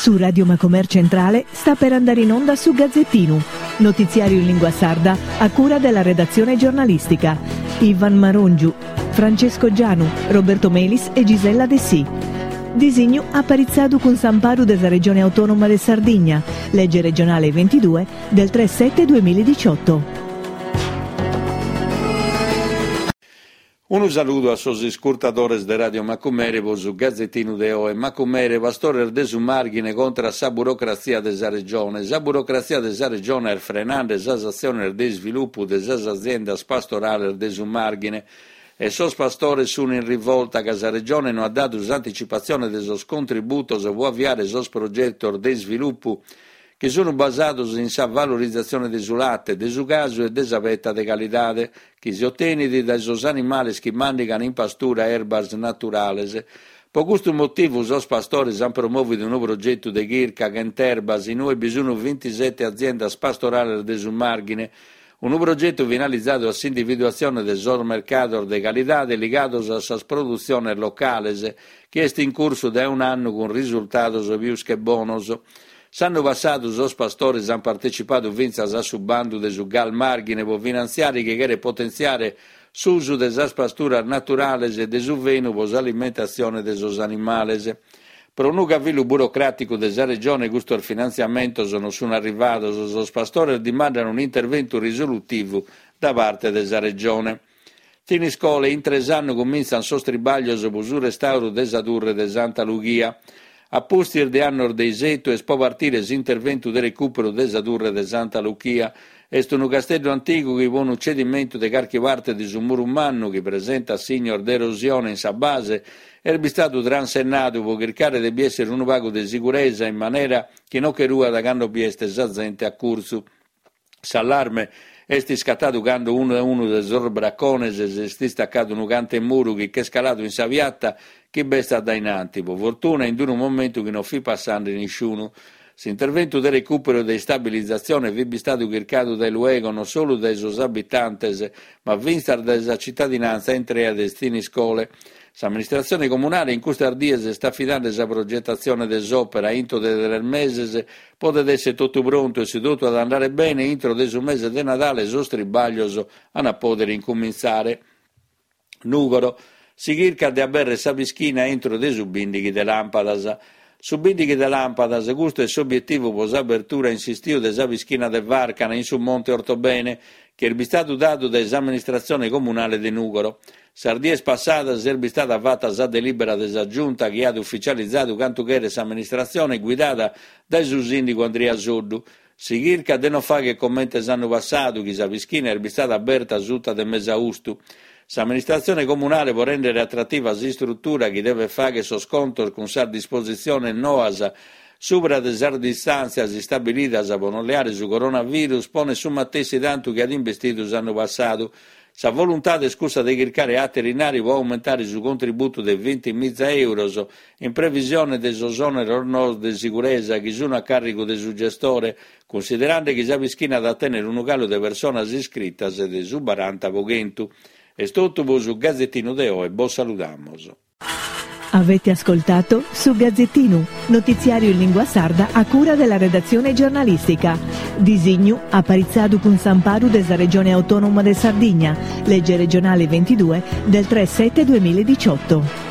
Su Radio Macomer Centrale sta per andare in onda su Gazzettinu, notiziario in lingua sarda a cura della redazione giornalistica. Ivan Marongiu, Francesco Gianu, Roberto Melis e Gisella Dessì. Disignu aparitzadu cun s'amparu de sa Regione Autonoma de Sardigna, lege regionale 22 del 3 7 2018. Unu saludu a sos iscurtadores de Radio Macumere pro su Gazetinu de oe. Macumere, pastores de su Màrghine contra a sa burocratzia de sa Regione. Sa burocratzia de sa Regione est frenande sas atziones de isvilupu de sas aziendas pastorales de su Màrghine e sos pastores sun in rivolta ca sa Regione no at dadu s'anticipatzione de sos contributos pro aviare sos progetos de isvilupu chi sunt basados in sa valorizatzione de su late, de su casu e de sa peta de calidade, chi si otenit dae sos animales chi màndigan in pastura erbas naturales. Pro custu motivu sos pastores ant promòvidu unu progetu de chirca Chent'erbas in ue bi sunt bintisete aziendas pastorales de su Màrghine, unu progetu finalizadu a s'individuatzione de sos mercados de calidade ligados a sas produtziones locales, chi est in cursu dae un'annu cun risultados pius che bonos. S'annu passadu sos pastores ant partecipadu fintzas a su bandu de su Gal Màrghine pro finantziare chi cheret potentziare s'usu de sas pasturas naturales e de su fenu pro s'alimentatzione de sos animales. Pro unu cavillu burocràticu de sa Regione custos finantziamentos non sunt arrivados, sos pastores dimandan un'interventu risolutivu da parte de sa Regione. Thiniscole, intre s'annu cumintzant sos tribàglios pro su restàuru de sa turre de Santa Lughia. A pustis de annos de isetu est pro partire s'interventu de recùperu de sa turre de Santa Luchia. Est unu casteddu antigu chi pro unu cedimentu de carchi parte de su muru mannu chi presentat signos de erosione in sa base est bistadu transennadu pro chircare de bi èssere unu pagu de siguresa in manera chi non che ruat cando bi est sa zente a curtzu. S'allarme est iscatadu cando unu unu de sos bracones s'est istacadu unu cante muru chi ch'est caladu in sa piata chi b'est a dainanti, pro fortuna in unu momentu chi non fit passande nisciunu. S'interventu de recùperu e de istabilizatzione fit bistadu chircadu dae luego non solu dae sos abitantes ma fintzas dae sa citadinantza intrea de Thiniscole. S'amministratzione comunale in custas dies est afidande sa progetatzione de s'òpera intro de tres meses Podet èssere totu prontu e si totu at a andare bene, intro de su mese de Nadale sos tribàglios an a pòdere incumintzare. Nùgoro, Si chircat de abèrrere sa pischina intro de su bìndighi de làmpadas. Su bìndighi de làmpadas, custu est s'obietivu pro s'abertura in s'istiu de sa pischina de Vàrcana in su Monte Ortobene, chi est bistadu dadu dae s'amministratzione comunale de Nùgoro. Sas dies passadas est bistada fata sa delìbera de sa Giunta chi at ufitzializadu cantu cheret s'amministratzione guidada dae su sìndigu Andria Soddu. Si chircat de non fàghere comente s'annu passadu chi sa pischina est bistada aberta suta de mesaustu. S'amministratzione comunale pro rèndere atrativa s'istrutura chi devet fàghere sos contos cun sas dispositziones noas subra de sas distàntzias istabilidas pro non leare su coronavirus ponet su matessi tantu chi at investidu s'annu passadu. Sa voluntade est cussa de chircare àteru inari pro aumentare su contributu de vintimiza euros in previsione de sos òneros noos de siguresa chi sun a càrrigu de su gestore, cunsiderande chi sa pischina at a tènnere unu calu de personas iscritas de su baranta pro chentu. Est totu pro su Gazetinu de oe, bos saludamos. Avete ascoltato Su Gazzettinu, notiziario in lingua sarda a cura della redazione giornalistica. Disignu aparitzadu cun s'amparu de sa Regione Autonoma de Sardigna, legge regionale 22 del 3 7 2018.